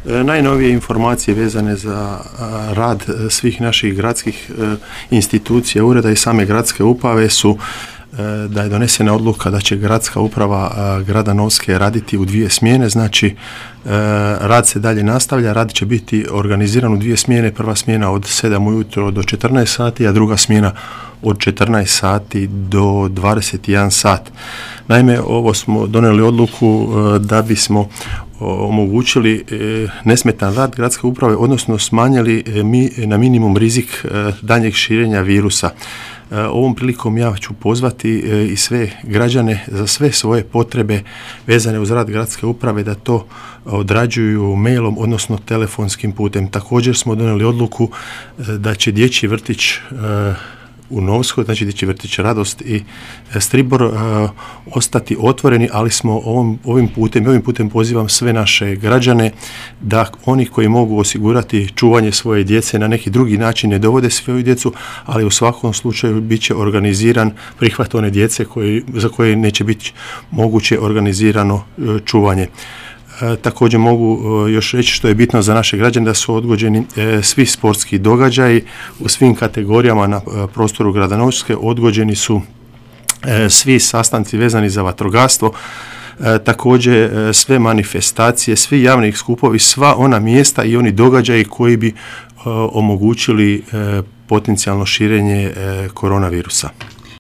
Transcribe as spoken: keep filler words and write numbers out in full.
Najnovije informacije vezane za rad svih naših gradskih institucija, ureda i same gradske uprave su da je donesena odluka da će gradska uprava grada Novske raditi u dvije smjene, znači rad se dalje nastavlja, rad će biti organiziran u dvije smjene, prva smjena od sedam ujutro do četrnaest sati, a druga smjena od četrnaest sati do dvadeset jedan sat. Naime, ovo smo donijeli odluku da bismo omogućili nesmetan rad gradske uprave, odnosno smanjili mi na minimum rizik daljnjeg širenja virusa. Ovom prilikom ja ću pozvati i sve građane za sve svoje potrebe vezane uz rad gradske uprave da to odrađuju mailom, odnosno telefonskim putem. Također smo donijeli odluku da će dječji vrtić u Novskoj, znači dječji vrtić Radost i Stribor uh, ostati otvoreni, ali smo ovom, ovim putem, ovim putem pozivam sve naše građane da oni koji mogu osigurati čuvanje svoje djece na neki drugi način ne dovode svoju djecu, ali u svakom slučaju bit će organiziran prihvat one djece koji, za koje neće biti moguće organizirano uh, čuvanje. E, također mogu e, još reći što je bitno za naše građane da su odgođeni e, svi sportski događaji u svim kategorijama na e, prostoru grada Novske, odgođeni su e, svi sastanci vezani za vatrogastvo, e, također e, sve manifestacije, svi javni skupovi, sva ona mjesta i oni događaji koji bi e, omogućili e, potencijalno širenje e, koronavirusa.